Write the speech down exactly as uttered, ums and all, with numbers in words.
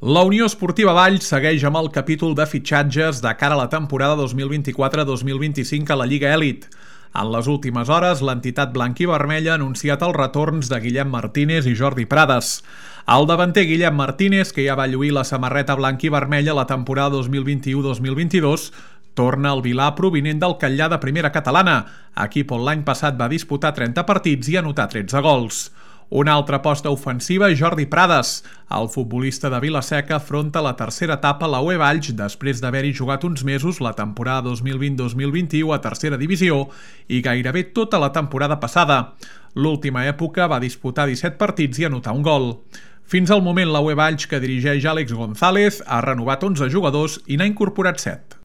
La Unió Esportiva Valls segueix amb el capítol de fitxatges de cara a la temporada dos mil vint-i-quatre dos mil vint-i-cinc a la Lliga Elit. En les últimes hores, l'entitat blanquivermella ha anunciat els retorns de Guillem Martínez i Jordi Prades. El davanter Guillem Martínez, que ja va lluir la samarreta blanquivermella la temporada dos mil vint-i-u dos mil vint-i-dos, torna al Vilà provinent del Catllà de primera catalana, equip on l'any passat va disputar trenta partits i anotar tretze gols. Una altra aposta ofensiva és Jordi Prades. El futbolista de Vila-seca afronta la tercera etapa a la U E Valls després d'haver-hi jugat uns mesos la temporada dos mil vint dos mil vint-i-u a tercera divisió i gairebé tota la temporada passada. L'última època va disputar disset partits i anotar un gol. Fins al moment la U E Valls, que dirigeix Àlex González, ha renovat onze jugadors i n'ha incorporat set.